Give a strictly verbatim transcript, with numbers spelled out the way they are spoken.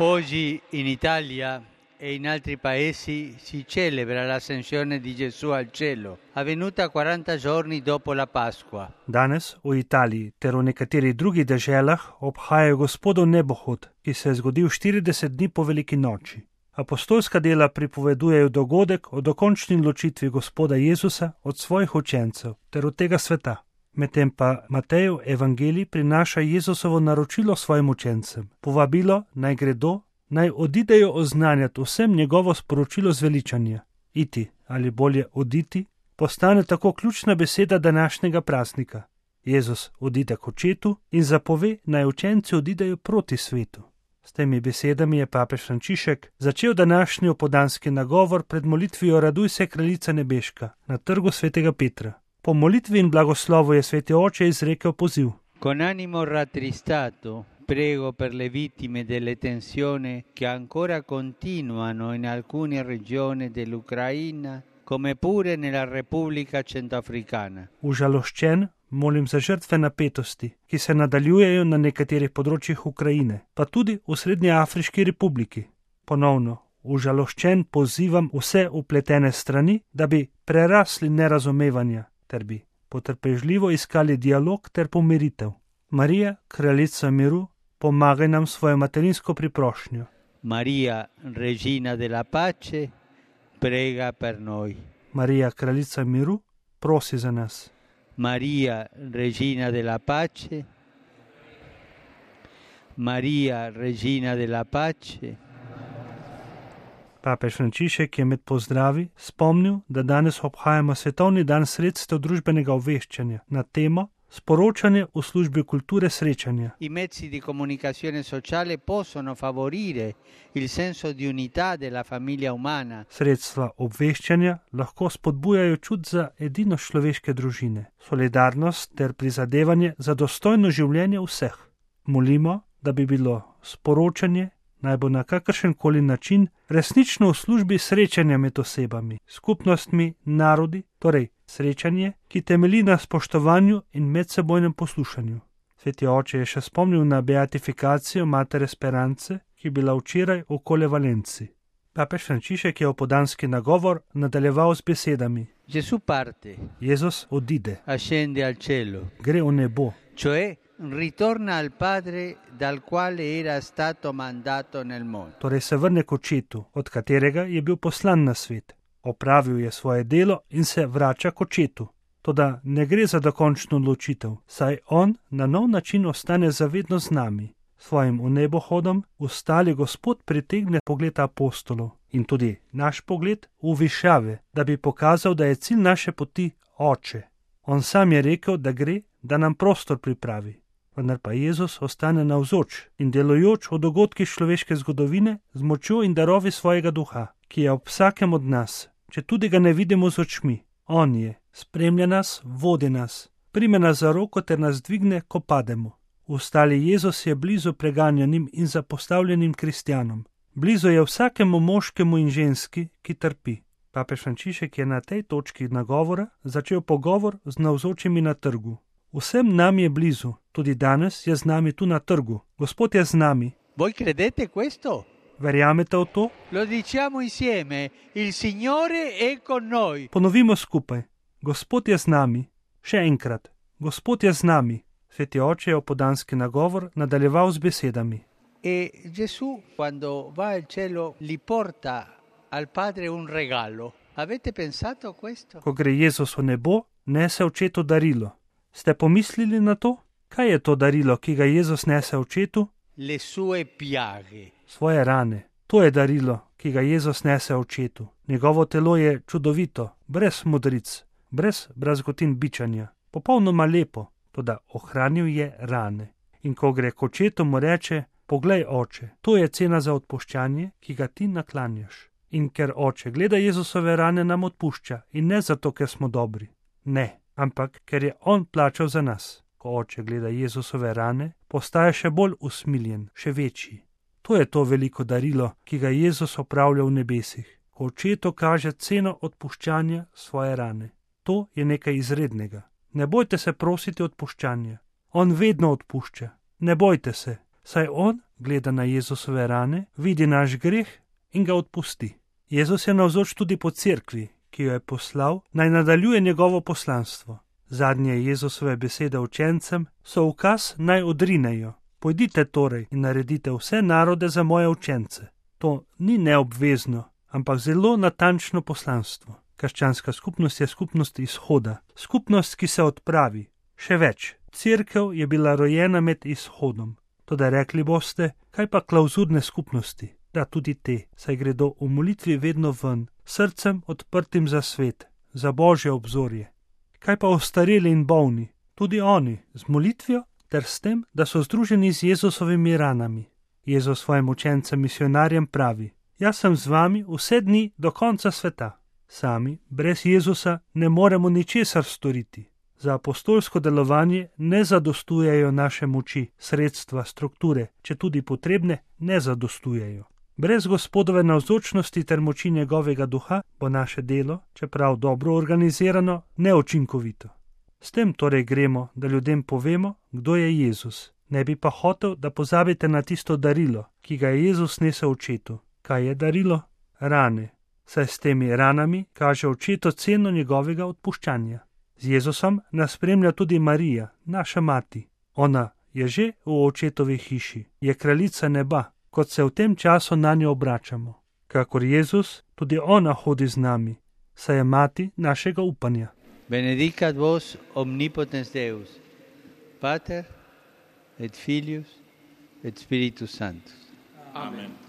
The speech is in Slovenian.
Oggi in Italia e in altri paesi si celebra l'ascensione di Gesù al cielo, avvenuta quaranta giorni dopo la Pasqua. Danes v Italiji ter v nekaterih drugih deželah obhajajo Gospodov nebohod, ki se je zgodil štirideset dni po veliki noči. Apostolska dela pripovedujejo dogodek o dokončni ločitvi Gospoda Jezusa od svojih učencev ter od tega sveta. Medtem pa Matejev evangelij prinaša Jezusovo naročilo svojim učencem, povabilo naj gredo, naj odidejo oznanjati vsem njegovo sporočilo zveličanja. Iti ali bolje oditi postane tako ključna beseda današnjega praznika. Jezus odide k očetu in zapove, naj učenci odidejo proti svetu. S temi besedami je papež Frančišek začel današnji opoldanski nagovor pred molitvijo Raduj se, kraljica nebeška na trgu svetega Petra. Po molitvi in blagoslovu je sveti oče izrekel poziv. Con animo rattristato prego per le vittime delle tensioni che ancora continuano in alcune regioni dell'Ucraina, come pure nella Repubblica Centroafricana. Užaloščen molim za žrtve napetosti, ki se nadaljujejo na nekaterih področjih Ukrajine, pa tudi v Srednjeafriški republiki. Ponovno, užaloščen pozivam vse upletene strani, da bi prerasli nerazumevanja, ter bi potrpežljivo iskali dialog ter pomiritev. Marija, kraljica miru, pomagaj nam svojo materinsko priprošnjo. Maria, regina della pace, prega per noi. Marija, kraljica miru, prosi za nas. Maria, regina della pace. Maria, regina della pace. Papež Frančišek je med pozdravi spomnil, da danes obhajamo svetovni dan sredstev družbenega obveščanja na temo sporočanje v službi kulture srečanja. I mezzi di comunicazione sociale possono favorire il senso di unità della famiglia umana. Sredstva obveščanja lahko spodbujajo čut za edinost človeške družine, solidarnost ter prizadevanje za dostojno življenje vseh. Molimo, da bi bilo sporočanje naj bo na kakršen koli način resnično v službi srečanja med osebami, skupnostmi, narodi, torej srečanje, ki temelji na spoštovanju in medsebojnem poslušanju. Sveti oče je še spomnil na beatifikacijo Matere Esperance, ki je bila včeraj v Colle Valenci. Papež Frančišek je opoldanski nagovor nadaljeval z besedami. Gesù parte. Jezus odide. Ascende al cielo. Gre v nebo. Cioè ritorna al Padre dal quale era stato mandato nel mondo. Torej se vrne k očetu, od katerega je bil poslan na svet. Opravil je svoje delo in se vrača k očetu. Toda ne gre za dokončno odločitev, saj on na nov način ostane zavedno z nami. Svojim vnebohodom ustali Gospod pritegne pogled apostolov in tudi naš pogled v višave, da bi pokazal, da je cilj naše poti Oče. On sam je rekel, da gre, da nam prostor pripravi. Vendar pa Jezus ostane navzoč in delujoč v dogodkih človeške zgodovine z močjo in darovi svojega duha, ki je ob vsakem od nas, če tudi ga ne vidimo z očmi. On je, spremlja nas, vodi nas, prime nas za roko ter nas dvigne, ko pademo. Ustali Jezus je blizu preganjanim in zapostavljenim kristjanom. Blizu je vsakemu moškemu in ženski, ki trpi. Papež Frančišek je na tej točki nagovora začel pogovor z navzočimi na trgu. Vsem nam je blizu, tudi danes je z nami tu na trgu. Gospod je z nami. Voi credete questo? Verjamete v to? Lo diciamo insieme, il Signore è con noi. Ponovimo skupaj. Gospod je z nami. Še enkrat. Gospod je z nami. Sveti oče je opoldanski nagovor nadaljeval z besedami. E Gesù, quando va al cielo, li porta al Padre un regalo. Avete pensato a questo? Ko gre Jezus v nebo, nese očetu darilo. Ste pomislili na to? Kaj je to darilo, ki ga Jezus nese očetu? Le sue piaghe. Svoje rane. To je darilo, ki ga Jezus nese očetu. Njegovo telo je čudovito, brez modric, brez brazgotin bičanja, popolnoma lepo, toda ohranil je rane. In ko gre k očetu, mu reče, poglej, oče, to je cena za odpuščanje, ki ga ti naklanjaš. In ker oče gleda Jezusove rane, nam odpušča in ne zato, ker smo dobri. Ne. Ampak ker je on plačal za nas. Ko oče gleda Jezusove rane, postaje še bolj usmiljen, še večji. To je to veliko darilo, ki ga Jezus opravlja v nebesih, ko očetu kaže ceno odpuščanja svoje rane. To je nekaj izrednega. Ne bojte se prositi odpuščanja. On vedno odpušča. Ne bojte se. saj on gleda na Jezusove rane, vidi naš greh in ga odpusti. Jezus je navzoč tudi po cerkvi, ki jo je poslal, naj nadaljuje njegovo poslanstvo. Zadnje Jezusove besede učencem so ukaz, naj odrinejo. Pojdite torej in naredite vse narode za moje učence. To ni neobvezno, ampak zelo natančno poslanstvo. Krščanska skupnost je skupnost izhoda, skupnost, ki se odpravi. Še več, cerkev je bila rojena med izhodom. Toda rekli boste, kaj pa klauzurne skupnosti? Da, tudi te, saj gredo v molitvi vedno ven, srcem odprtim za svet, za Božje obzorje. Kaj pa ostareli in bolni? Tudi oni, z molitvijo ter s tem, da so združeni z Jezusovimi ranami. Jezus svojim učencem misionarjem pravi: Jaz sem z vami vse dni do konca sveta. Sami, brez Jezusa, ne moremo ničesar storiti. Za apostolsko delovanje ne zadostujejo naše moči, sredstva, strukture, če tudi potrebne, ne zadostujejo. Brez Gospodove navzočnosti ter moči njegovega duha bo naše delo, čeprav dobro organizirano, neučinkovito. S tem torej gremo, da ljudem povemo, kdo je Jezus. Ne bi pa hotel, da pozabite na tisto darilo, ki ga je Jezus nesel očetu. Kaj je darilo? Rane. Saj s temi ranami kaže očetu ceno njegovega odpuščanja. Z Jezusom nas spremlja tudi Marija, naša mati. Ona je že v očetovi hiši, je kraljica neba, kot se v tem času na njo obračamo. Kakor Jezus, tudi ona hodi z nami, saj je mati našega upanja. Benedicat vos omnipotens Deus, Pater et Filius et Spiritus Sanctus. Amen.